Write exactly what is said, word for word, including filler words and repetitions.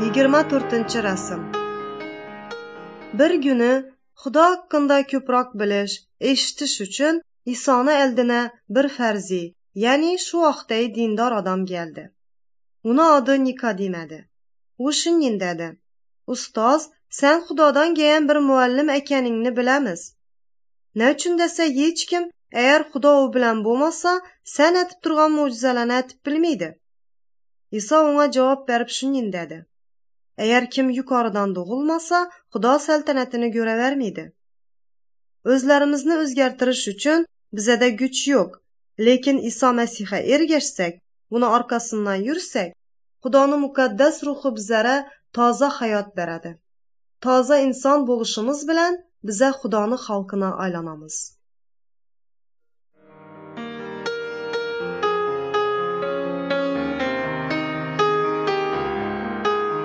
Yigirma to'rtinchi rasm. Bir kuni Xudo haqida ko'proq bilish, eshitish uchun Isoni oldina bir farzi, ya'ni shu vaqtdagi dindor odam keldi. Uni odi Nikodim edi. U shunday dedi: "Ustoz, sen Xudodan kelgan bir muallim ekaningni bilamiz. Ne uchun desa, hech kim agar Xudo u bilan bo'lmasa, sen aytib turgan mo'jizalarni aytib bilmaydi." Iso unga javob berib shunday dedi: "Agar kim yuqoridan tug'ilmasa, Xudo saltanatini ko'ravermaydi." O'zlarimizni o'zgartirish uchun bizada kuch yo'q, lekin Iso Masihga ergashsak, uni orqasidan yursak, Xudoning muqaddas ruhi bizlara toza hayot beradi. Toza inson bo'lishimiz bilan biza Xudoning xalqina aylanamiz.